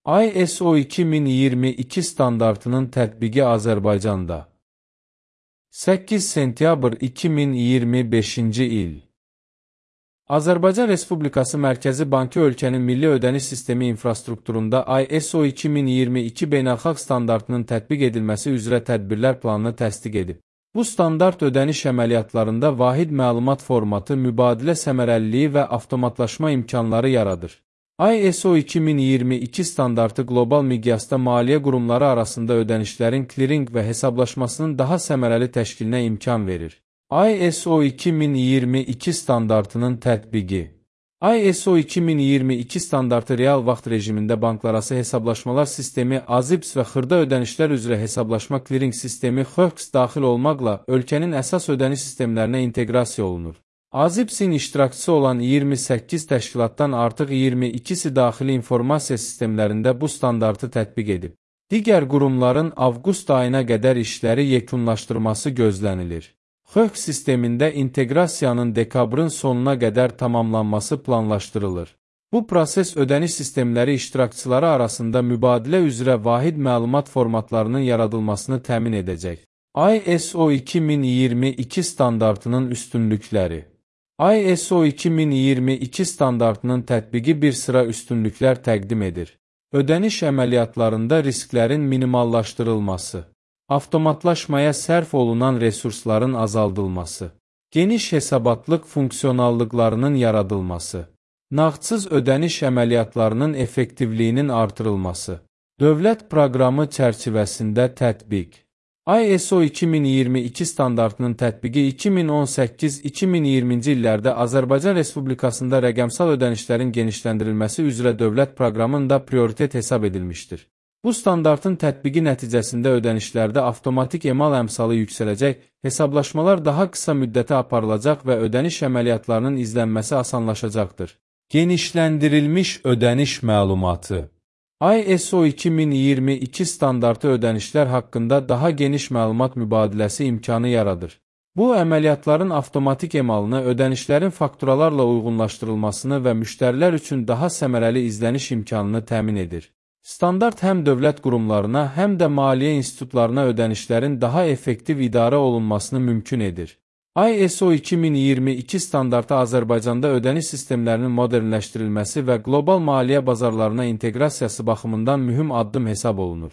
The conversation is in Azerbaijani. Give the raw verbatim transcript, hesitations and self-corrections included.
I S O iki min iyirmi iki standartının tətbiqi Azərbaycanda. səkkiz sentyabr iki min iyirmi beşinci il. Azərbaycan Respublikası Mərkəzi Bankı ölkənin milli ödəniş sistemi infrastrukturunda I S O iki min iyirmi iki beynəlxalq standartının tətbiq edilməsi üzrə tədbirlər planını təsdiq edib. Bu standart ödəniş əməliyyatlarında vahid məlumat formatı, mübadilə səmərəliliyi və avtomatlaşma imkanları yaradır. I S O iki min iyirmi iki standartı qlobal miqyasda maliyyə qurumları arasında ödənişlərin klirinq və hesablaşmasının daha səmərəli təşkilinə imkan verir. I S O iki min iyirmi iki standartının tətbiqi. I S O iki min iyirmi iki standartı real vaxt rejimində banklararası hesablaşmalar sistemi A Z I P S və xırda ödənişlər üzrə hesablaşma klirinq sistemi X O X daxil olmaqla ölkənin əsas ödəniş sistemlərinə inteqrasiya olunur. A Z I P S-in iştirakçısı olan iyirmi səkkiz təşkilatdan artıq iyirmi ikisi daxili informasiya sistemlərində bu standartı tətbiq edib. Digər qurumların avqust ayına qədər işləri yekunlaşdırması gözlənilir. X O X sistemində inteqrasiyanın dekabrın sonuna qədər tamamlanması planlaşdırılır. Bu proses ödəniş sistemləri iştirakçıları arasında mübadilə üzrə vahid məlumat formatlarının yaradılmasını təmin edəcək. I S O iki min iyirmi iki standartının üstünlükləri. I S O iki min iyirmi iki standartının tətbiqi bir sıra üstünlüklər təqdim edir. Ödəniş əməliyyatlarında risklərin minimallaşdırılması, avtomatlaşmaya sərf olunan resursların azaldılması, geniş hesabatlıq funksionallıqlarının yaradılması, nağdsız ödəniş əməliyyatlarının effektivliyinin artırılması, dövlət proqramı çərçivəsində tətbiq. I S O iki min iyirmi iki standartının tətbiqi iki min on səkkiz iki min iyirminci illərdə Azərbaycan Respublikasında rəqəmsal ödənişlərin genişləndirilməsi üzrə dövlət proqramında prioritet hesab edilmişdir. Bu standartın tətbiqi nəticəsində ödənişlərdə avtomatik emal əmsalı yüksələcək, hesablaşmalar daha qısa müddətə aparılacaq və ödəniş əməliyyatlarının izlənməsi asanlaşacaqdır. Genişləndirilmiş ödəniş məlumatı. I S O iki min iyirmi iki standartı ödənişlər haqqında daha geniş məlumat mübadiləsi imkanı yaradır. Bu, əməliyyatların avtomatik emalını, ödənişlərin fakturalarla uyğunlaşdırılmasını və müştərilər üçün daha səmərəli izləniş imkanını təmin edir. Standart həm dövlət qurumlarına, həm də maliyyə institutlarına ödənişlərin daha effektiv idarə olunmasını mümkün edir. I S O iki min iyirmi iki standartı Azərbaycanda ödəniş sistemlərinin modernləşdirilməsi və qlobal maliyyə bazarlarına inteqrasiyası baxımından mühüm addım hesab olunur.